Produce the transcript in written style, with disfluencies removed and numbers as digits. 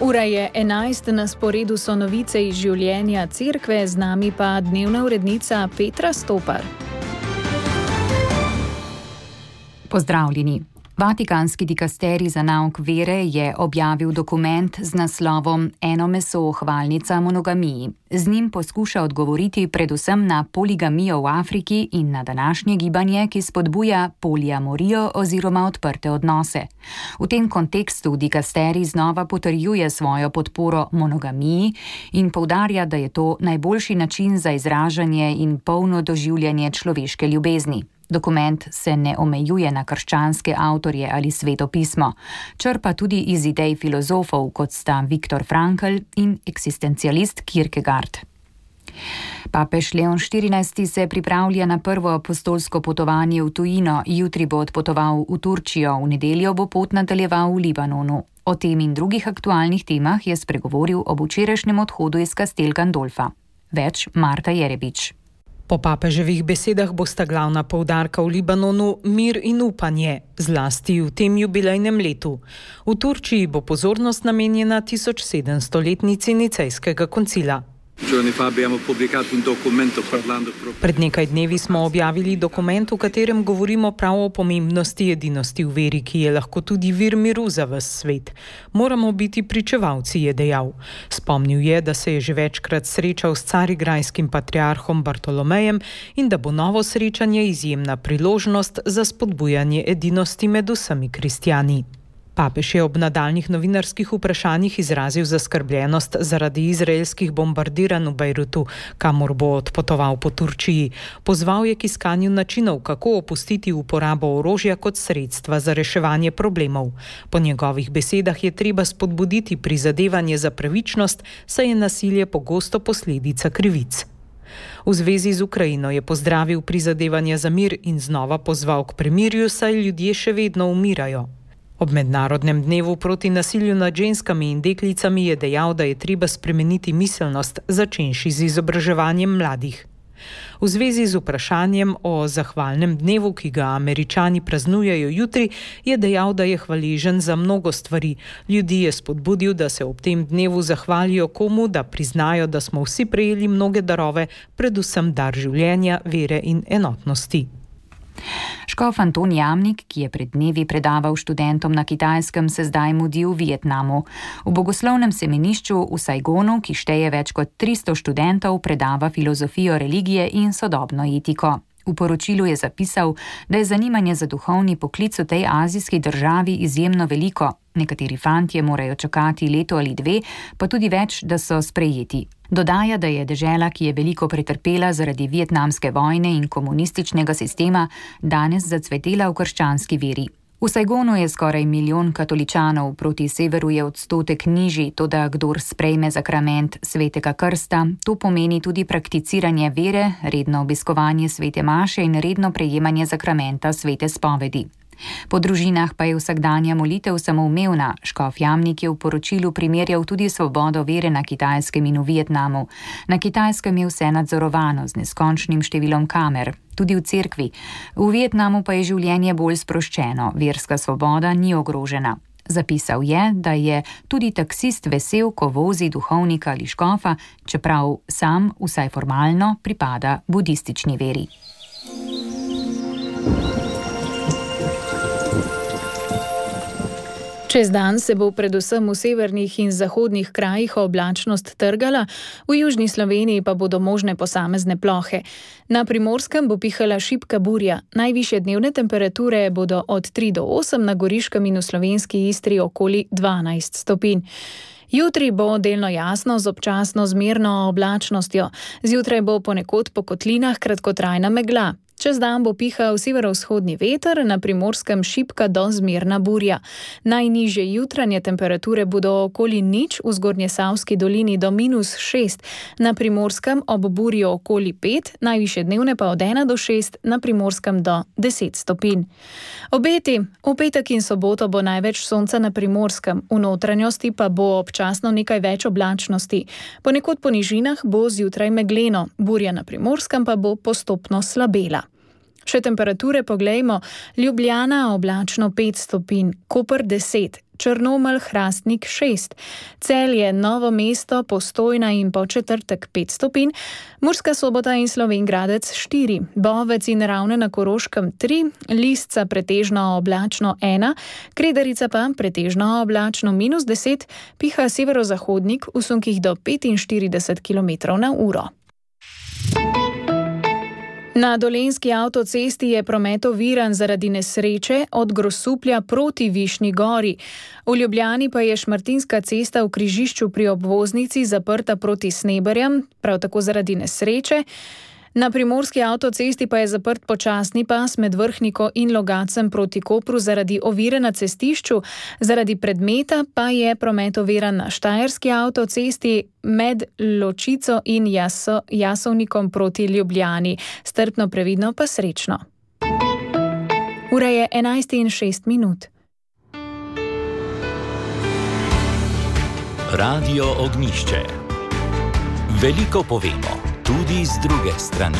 Ura je 11, na sporedu so novice iz življenja cerkve, z nami pa dnevna urednica Petra Stopar. Pozdravljeni. Vatikanski dikasterij za nauk vere je objavil dokument z naslovom Eno meso, hvalnica monogamiji. Z njim poskuša odgovoriti predvsem na poligamijo v Afriki in na današnje gibanje, ki spodbuja poliamorijo oziroma odprte odnose. V tem kontekstu dikasterij znova potrjuje svojo podporo monogamiji in poudarja, da je to najboljši način za izražanje in polno doživljanje človeške ljubezni. Dokument se ne omejuje na krščanske avtorje ali sveto pismo, črpa tudi iz idej filozofov, kot sta Viktor Frankl in eksistencialist Kierkegaard. Papež Leon XIV se pripravlja na prvo apostolsko potovanje v tujino, jutri bo odpotoval v Turčijo, v nedeljo bo pot nadaljeval v Libanonu. O tem in drugih aktualnih temah je spregovoril ob včerajšnjem odhodu iz Castel Gandolfa. Več Marta Jerebič. Po papeževih besedah bosta glavna poudarka v Libanonu mir in upanje, zlasti v tem jubilejnem letu. V Turčiji bo pozornost namenjena 1700-letnici Nicejskega koncila. Pred nekaj dnevi smo objavili dokument, v katerem govorimo prav o pomembnosti edinosti v veri, ki je lahko tudi vir miru za ves svet. Moramo biti pričevalci, je dejal. Spomnil je, da se je že večkrat srečal s carigrajskim patriarhom Bartolomejem in da bo novo srečanje izjemna priložnost za spodbujanje edinosti med vsemi kristjani. Papež je ob nadaljnjih novinarskih vprašanjih izrazil zaskrbljenost zaradi izraelskih bombardiranj v Bejrutu, kamor bo odpotoval po Turčiji. Pozval je k iskanju načinov, kako opustiti uporabo orožja kot sredstva za reševanje problemov. Po njegovih besedah je treba spodbuditi prizadevanje za pravičnost, saj je nasilje pogosto posledica krivic. V zvezi z Ukrajino je pozdravil prizadevanje za mir in znova pozval k premirju, saj ljudje še vedno umirajo. Ob mednarodnem dnevu proti nasilju nad ženskami in deklicami je dejal, da je treba spremeniti miselnost, začenši z izobraževanjem mladih. V zvezi z vprašanjem o zahvalnem dnevu, ki ga Američani praznujejo jutri, je dejal, da je hvaležen za mnogo stvari. Ljudi je spodbudil, da se ob tem dnevu zahvalijo komu, da priznajo, da smo vsi prejeli mnoge darove, predvsem dar življenja, vere in enotnosti. Škof Anton Jamnik, ki je pred dnevi predaval študentom na Kitajskem, se zdaj mudi v Vietnamu. V bogoslovnem semenišču v Saigonu, ki šteje več kot 300 študentov, predava filozofijo religije in sodobno etiko. V poročilu je zapisal, da je zanimanje za duhovni poklic v tej azijski državi izjemno veliko. Nekateri fantje morajo čakati leto ali dve, pa tudi več, da so sprejeti. Dodaja, da je dežela, ki je veliko pretrpela zaradi vietnamske vojne in komunističnega sistema, danes zacvetela v krščanski veri. V Saigonu je skoraj 1 milijon katoličanov, proti severu je odstotek nižji, toda kdor sprejme zakrament svetega krsta, to pomeni tudi prakticiranje vere, redno obiskovanje svete maše in redno prejemanje zakramenta svete spovedi. Po družinah pa je vsakdanja molitev samoumevna. Škof Jamnik je v poročilu primerjal tudi svobodo vere na Kitajskem in v Vietnamu. Na Kitajskem je vse nadzorovano z neskončnim številom kamer, tudi v cerkvi. V Vietnamu pa je življenje bolj sproščeno, verska svoboda ni ogrožena. Zapisal je, da je tudi taksist vesel, ko vozi duhovnika ali škofa, čeprav sam, vsaj formalno, pripada budistični veri. Čez dan se bo predvsem v severnih in zahodnih krajih oblačnost trgala, v južni Sloveniji pa bodo možne posamezne plohe. Na Primorskem bo pihala šibka burja, najvišje dnevne temperature bodo od 3 do 8, na Goriškem in v slovenski Istri okoli 12 stopinj. Jutri bo delno jasno z občasno zmerno oblačnostjo. Zjutraj bo ponekod po kotlinah kratkotrajna megla. Čez dan bo pihal severovzhodni veter, na Primorskem šibka do zmerna burja. Najnižje jutranje temperature bodo okoli 0, v Zgornjesavski dolini do -6, na Primorskem ob burju okoli 5, najvišje dnevne pa od 1 do 6, na Primorskem do 10 stopinj. Obeti. V petek in soboto bo največ sonca na Primorskem, v notranjosti pa bo občasno nekaj več oblačnosti. Ponekod po nižinah bo zjutraj megleno, burja na Primorskem pa bo postopno slabela. Še temperature poglejmo. Ljubljana oblačno 5 stopinj, Koper 10, Črnomelj, Hrastnik 6, Celje, Novo mesto, Postojna in Podčetrtek 5 stopinj, Murska Sobota in Slovenj Gradec 4, Bovec in Ravne na Koroškem 3, Lisca pretežno oblačno 1, Kredarica pa pretežno oblačno -10, piha severozahodnik v sunkih do 45 km/h. Na Dolenjski avtocesti je promet oviran zaradi nesreče od Grosuplja proti Višnji Gori. V Ljubljani pa je Šmartinska cesta v križišču pri obvoznici zaprta proti Sneberjem, prav tako zaradi nesreče. Na Primorski avtocesti pa je zaprt počasni pas med Vrhniko in Logacem proti Kopru zaradi ovire na cestišču, zaradi predmeta pa je promet oviran na Štajerski avtocesti med Ločico in Jasovnikom proti Ljubljani. Strpno, previdno pa srečno. Ura je 11:06. Radio Ognjišče. Veliko povemo, tudi z druge strani.